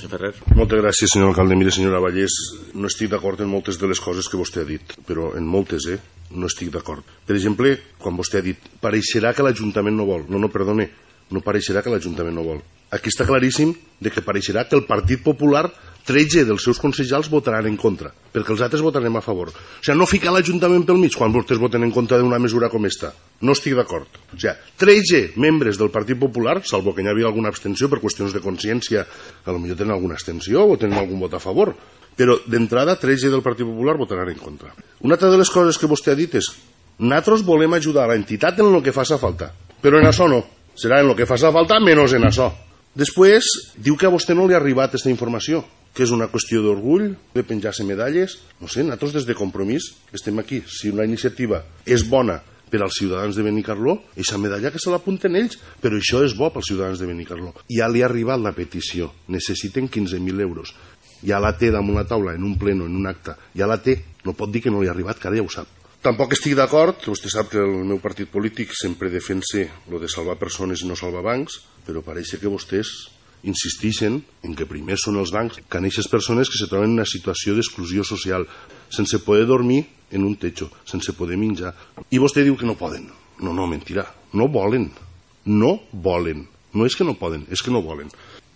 Senyor Ferrer. Moltes gràcies, senyor alcalde. Mire, senyora Vallès, no estic d'acord en moltes de les coses que vostè ha dit, però en moltes, no estic d'acord. Per exemple, quan vostè ha dit, pareixerà que l'Ajuntament no vol. No, perdone, no pareixerà que l'Ajuntament no vol. Aquí està claríssim que pareixerà que el Partit Popular 13 dels seus consellers votaran en contra, perquè els altres votarem a favor. O sigui, no ficar l'Ajuntament pel mig quan vostès voten en contra d'una mesura com esta. No estic d'acord. O sigui, 13 membres del Partit Popular, salvo que hi havia alguna abstenció per qüestions de consciència, potser tenen alguna abstenció o tenen algun vot a favor, però d'entrada 13 del Partit Popular votaran en contra. Una altra de les coses que vostè ha dit és nosaltres volem ajudar a l'entitat en el que faci falta, però en això no. Serà en el que faci falta menys en això. Després, diu que a vostè no li ha arribat aquesta informació, que és una qüestió d'orgull, de penjar-se medalles. No sé, nosaltres des de Compromís estem aquí. Si una iniciativa és bona per als ciutadans de Benicarló, aquesta medalla que se l'apunten ells, però això és bo pels ciutadans de Benicarló. Ja li ha arribat la petició, necessiten 15.000 euros. Ja la té damunt la taula, en un pleno, en un acte, ja la té. No pot dir que no li ha arribat, que ara ja ho sap. Tampoc estic d'acord, vostè sap que el meu partit polític sempre defensa lo de salvar persones i no salvar bancs, però pareix que vostès insisteixen en que primer són els bancs que aquestes persones que se troben en una situació d'exclusió social, sense poder dormir en un techo, sense poder menjar. I vostè diu que no poden. No, mentira. No volen. No volen. No és que no poden, és que no volen.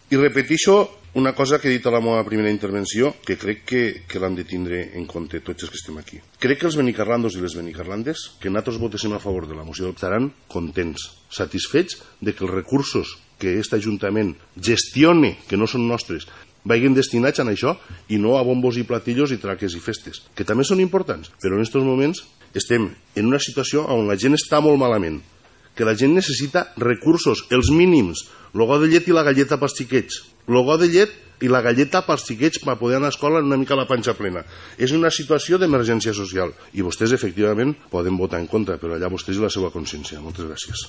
I repeteixo una cosa que he dit a la meva primera intervenció, que crec que l'hem de tindre en compte tots els que estem aquí. Crec que els benicarlandos i les benicarlandes, que nosaltres votéssim a favor de la moció, estaran contents, satisfets de que els recursos que aquest Ajuntament gestione, que no són nostres, vagin destinats a això i no a bombos i platillos i traques i festes, que també són importants, però en aquests moments estem en una situació on la gent està molt malament, que la gent necessita recursos, els mínims, el got de llet i la galleta pels xiquets, el got de llet i la galleta pels xiquets per poder anar a escola una mica la panxa plena. És una situació d'emergència social i vostès efectivament poden votar en contra, però allà vostès i la seva consciència. Moltes gràcies.